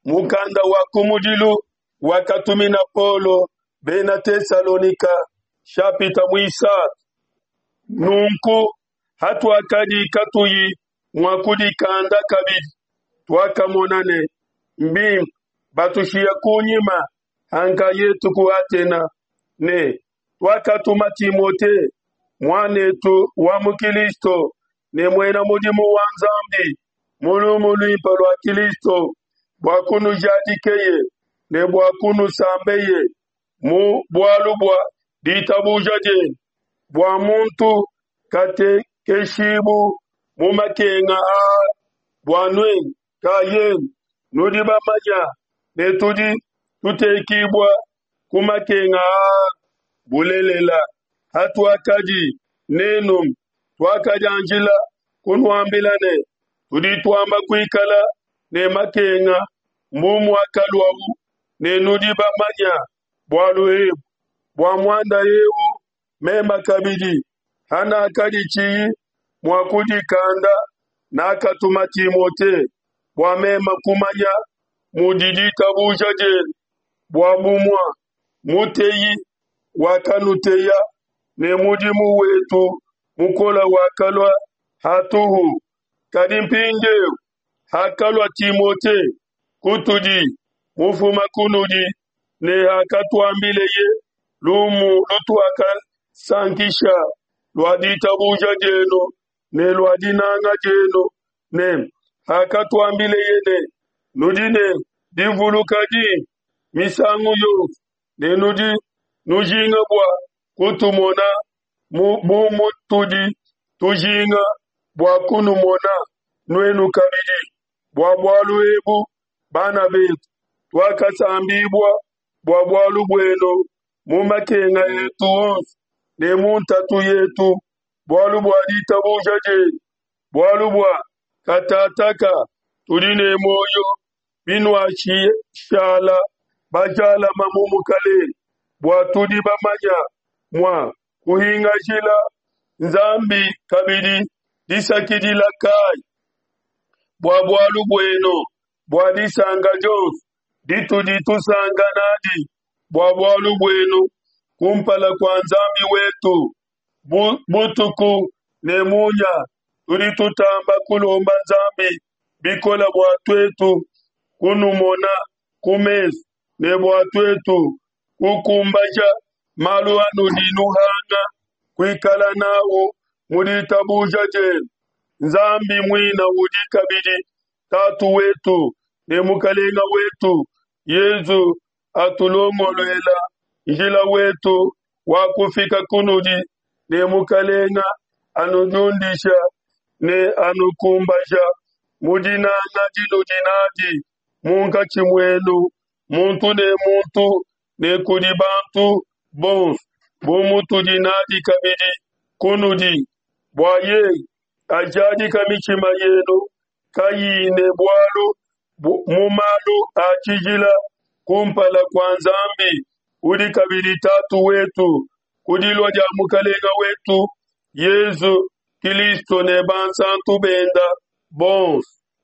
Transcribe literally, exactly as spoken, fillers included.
Mukanda wa kumudilu wakatumina Paulo bena Tesalonika, nshapita muisatu. Nunku hatuakadi katuyi mua kudikanda kabidi, tuakamona ne, Mbimpe batushiye kunyima ha nkayetu ku Atena, ne tuakatuma Timote, muan'etu wa mu Kilisto ne muena mudimu wa Nzambi mu lumu luimpe lua Kilisto, bua kunujadikeye ne bua kunusambeye mu bualu bua ditabuja dienu, bua muntu katekeshibu mu makenga aa bua nuenu nkayenu nudi bamanye ne tudi tutekibua ku makenga aa. Bulelela, hatuakadi n'enu, tuakadianjila kunuambila ne, Tudi tuamba kuikala ne makenga, mbu muakaluau, ne nudi bamanye bualu ebu. Bua muanda eu meme kabidi, hanakadi tshiyi mua kudikanda, nakatuma Timote, bua meme kumanya mudi ditabuja dienu, bua bumua muteyi wakanuteya, ne mudimu wetu mukole wakalua hatuhu. Kadi mpindiu, hakalua Timote kutudi mufuma kunudi, ne hakatuambileye lumu lutuakasankisha lua ditabuja dienu ne lua dinanga dienu, ne hakatuambileye ne, Nudi ne divuluka dimpe misangu yonso, ne nudi nujinga bua kutumona bu mutudi tujinga bua kunumona nuenu kabidi. Bua bualu ebu, bana betu, tuakasambibua bua bualu buenu mu makenga etu onso ne mu ntatu yetu, bualu bua ditabuja dienu. Bualu bua katataka tudi ne muoyo, binuashala bajalama mu Mukelenge. Bua tudi bamanya mua kuhingashila Nzambi kabidi disakidila kai bua bualu buenu, bua disanka dionso ditudi tusanka n'adi bua bualu buenu kumpala kua Nzambi wetu. Butuku ne munya tudi tutamba kulomba Nzambi bikole bua tuetu kunumona ku mesu, ne bua tuetu kukumbaja malu anudi nuhanga kuikala n'au mu ditabuja dienu. Nzambi muine udi kabidi Tatu wetu ne Mukelenge wetu Yesu atulongoluela njila wetu wa kufika kunudi, ne Mukelenge anudiundisha ne anukumbaja mu dinanga dinudi nadi munkatshi muenu muntu ne muntu ne kudi bantu bonso, bu mutudi nadi kabidi kunudi, bua yeye ajadike mitshima yenu kayiyi ne bualu mu malu a tshijila kumpala kua Nzambi udi kabidi Tatu wetu, ku dilua dia Mukelenge wetu Yesu Kilisto ne bansanto benda bonso.